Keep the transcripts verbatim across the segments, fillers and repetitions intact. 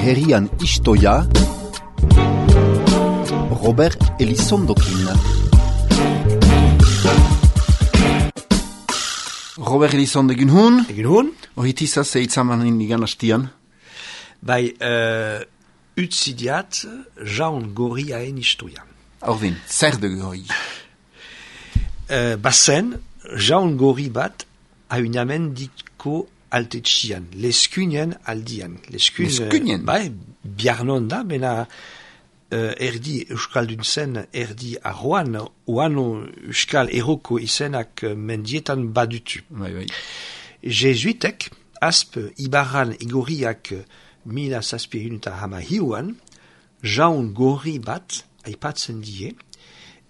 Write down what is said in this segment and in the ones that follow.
herrian istoia Robert Elizondokin. Robert Elizondo egin hun? Egin hun? Ohitizaz eitzaman igan hastian? Bai, uh, utzidiat jaun gorri haen istoia. Ordin, zer de gori? Uh, bazen, jaun gorri bat haunamen diko altetxian, leskunien aldian. Leskun, Leskunien? Bai, biarnon da, bena uh, erdi euskaldun zen, erdi arroan, oano euskal eroko izenak mendietan badutu. Bai, bai. Jesuitek, asp ibaran igorriak mila zazpirun eta hama hiuan, jaun gorri bat aipatzen die,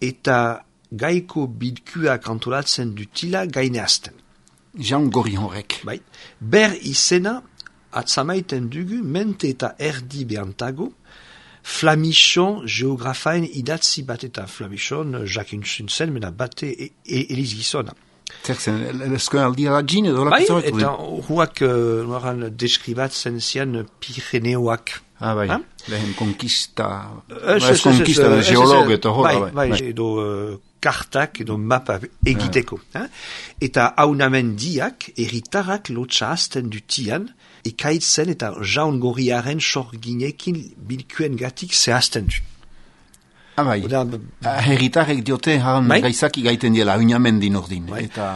eta gaiko bidkuak antolatzen dutila gaineazten. Jaun gorri horrek. Bai. Ber izena atzamaiten dugu mente eta erdi behantago, Flamichon geografaen idatzi bat eta Flamichon jakintzun zen, mena bate e, e, eliz gizona. Zer zen, lezkoen aldia da gine edo? Bai, eta huak uh, noran deskribatzen zian Pireneoak. Ah, bai, ha? lehen konkista, Ez, ez konkista, geolog eta hor, bai. Bai, edo uh, kartak edo mapa egiteko. Ha? Eta haunamendiak erritarrak lotxa azten dutian, ekaitzen eta jaun gorriaren sorginekin bilkuen gatik zehazten du. Ah, bai, Oda, herritarrek diote haran bai? gaizaki gaiten diela, haunamendin ordin. Bai. Eta,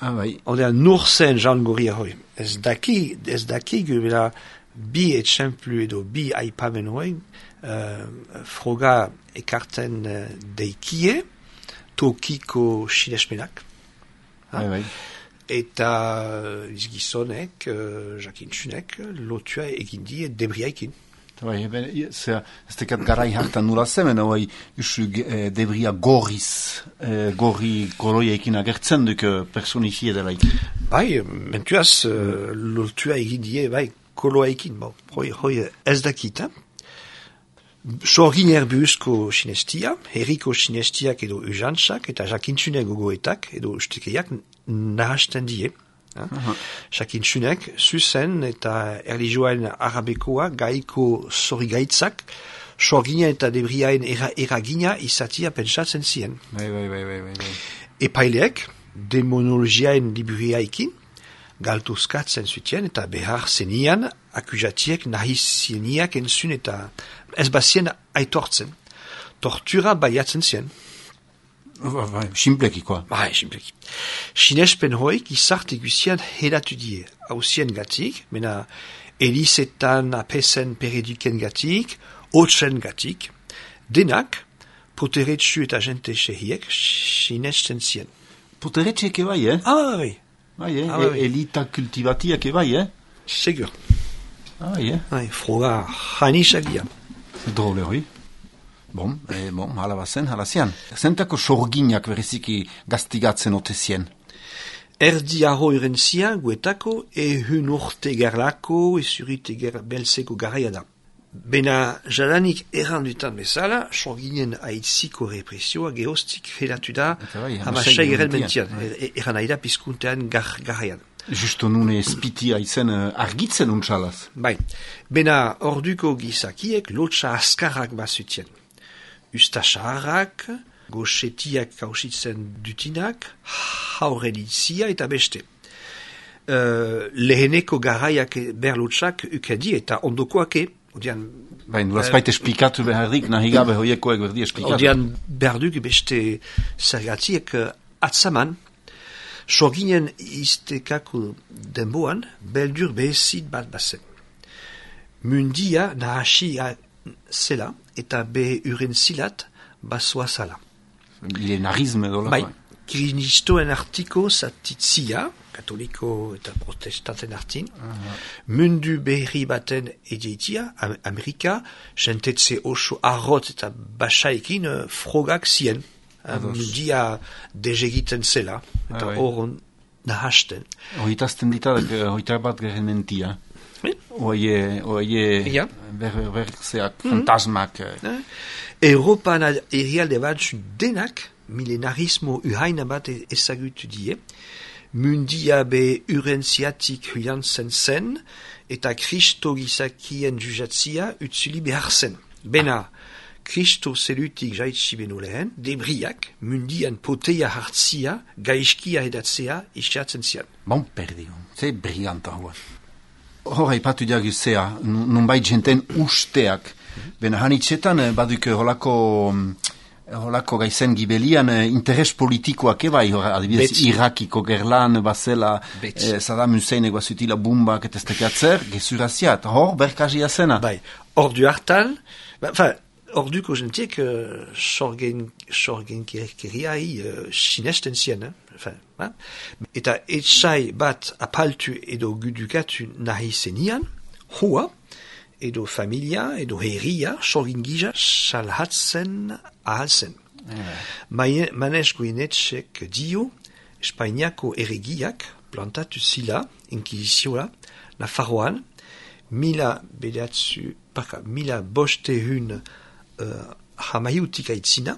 ah, bai, Oda, nur zen jaun gorria hoi. Ez daki, ez daki gubela bi etxemplu edo bi aipamen hoi, uh, froga ekarten uh, deikie, tokiko sinesmenak. bai, bai. Eta uh, izgizonek, uh, jakintzunek, lotua egin die debriaikin. Bai, eben, zer, ez tekat garai hartan nula zemen, hoi, usu eh, debria gorriz, eh, gorri koloiekin agertzen duk eh, personizie delaik. Bai, mentuaz, uh, lotua egin die, bai, koloaikin, bo, hoi, hoi ez dakita. Sorgin erbuzko sinestia, herriko sinestiak edo ujantzak, eta jakintzunek gogoetak, edo ustekeiak nahasten die. Jakintzunek, zuzen eta erlijioen arabekoa gaiko zorigaitzak, sorgina eta debriaen era, eragina izatia pentsatzen zien. Bai, bai, bai, bai, bai. Epaileek, demonologiaen liburiaikin, galtuzkatzen zutien eta behar zenian akuzatiek nahi zieniak entzun eta ez bazien aitortzen. Tortura baiatzen zien. Bai, bai, simpleki, koa. Bai, simpleki. Sinespen hoik izarte guzian hedatu die, hausien gatik, mena elizetan apesen pereduken gatik, otsen gatik, denak, poteretsu eta jente sehiek, sinesten zien. Poteretxek bai, eh? Ah, bai. Bai, eh? Ah, bai. E elita kultivatiak bai, eh? Segur. Ah, bai, eh? Bai, froga janisagia. Drole hoi. Bon, e, bon, hala bazen, hala zian. Zentako sorginak bereziki gaztigatzen otezien? Erdi arro irentzia guetako ehun urte gerlako ezurite ger belzeko garaia da. Bena jadanik errandutan bezala, sorginen aitziko represioa geostik fedatu da bai, hamasei geren mentian. bai. Erran aida pizkuntean gar, garaian. Justo nune spitia izen uh, argitzen untsalaz. Bai, bena orduko gizakiek lotxa askarrak bazutien. Ustasaharrak, goxetiak kausitzen dutinak, haurelitzia eta beste. Uh, leheneko garaiak berlotxak ukedi eta ondokoake, odian... Bai, nolazpait esplikatu beharrik, nahi gabe hoiekoek berdi esplikatu. Odian berduk beste zergatiek uh, atzaman, sorginen iztekako denboan, beldur behezit bat bazen. Mundia nahasia zela, eta be uren zilat basoa zala. Lenarisme dola. Bai, krinistoen artiko zatitzia, katoliko eta protestanten artin, uh-huh. Mundu berri baten edeitia, Amerika, jentetze oso arrot eta basaikin uh, frogak zien. Mundia dezegiten zela, eta hor nahasten. Hoitazten ditadak, hoitar bat geren mentia. Oie, oie, ja. ber, berzeak, mm-hmm. fantasmak. Eh? Europan erialde bat denak, milenarismo uhaina bat ezagutu die, mundia be urentziatik huiantzen zen, eta Kristo gizakien jujatzia utzuli behar zen. Bena, Kristo zelutik jaitsi beno lehen, debriak mundian poteia hartzia, gaizkia edatzea isiatzen zian. Bon perdi, ze briganta hua. Hora ipatu diaguzea, nunbait jenten usteak. Bena hanitzetan baduk holako... Holako gaizen gibelian interes politikoak ebai, adibidez Irakiko gerlan, bazela, eh, Saddam Hussein eguazutila bumbak eta estekatzer, gezurazia, eta hor berkazia zena. Bai, hor du hartan, enfin, hor duko jentiek uh, sorgen, sorgen kirkiriai uh, sinesten zien, eh? Enfin, hein? Eta etxai bat apaltu edo gudukatu nahi zenian, hoa, edo familia, edo herria, sorgingija, salhatzen ahalzen. Yeah. Manez guinetxek dio, Espainiako erregiak plantatu zila, inkizizioa, Nafarroan, mila bedatzu, parka, mila bostehun uh, hamaiutik aitzina,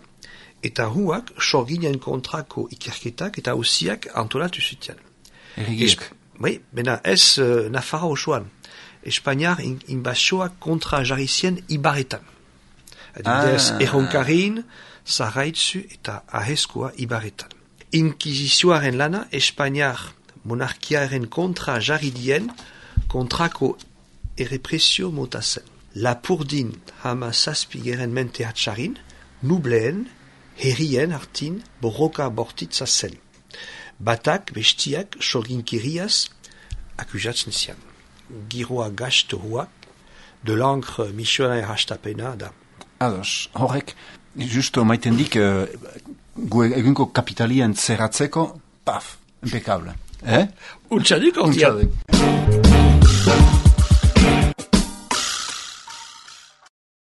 eta huak sorginen kontrako ikerketak eta hausiak antolatu zutian. Erregiak? Bai, bena ez uh, Nafarro osoan. Espainiar inbazioak kontra jarri zien Ibarretan. Adibidez, ah. Erronkarin, Zaraitzu eta Ahezkoa Ibarretan. Inkizizioaren lana, Espainiar monarkiaren kontra jarri dien kontrako errepresio mota zen. Lapurdin hama zazpigeren mente hatxarin, nubleen, herrien hartin borroka bortitza zen. Batak, bestiak, sorginkiriaz, akusatzen zian. Giroa gastu huak, de l'encre misionaire hastapena da. Ados, horrek, justo maiten dik, uh, gu egunko kapitalien zerratzeko, paf, impecable. Eh? Untxadik, ontiak.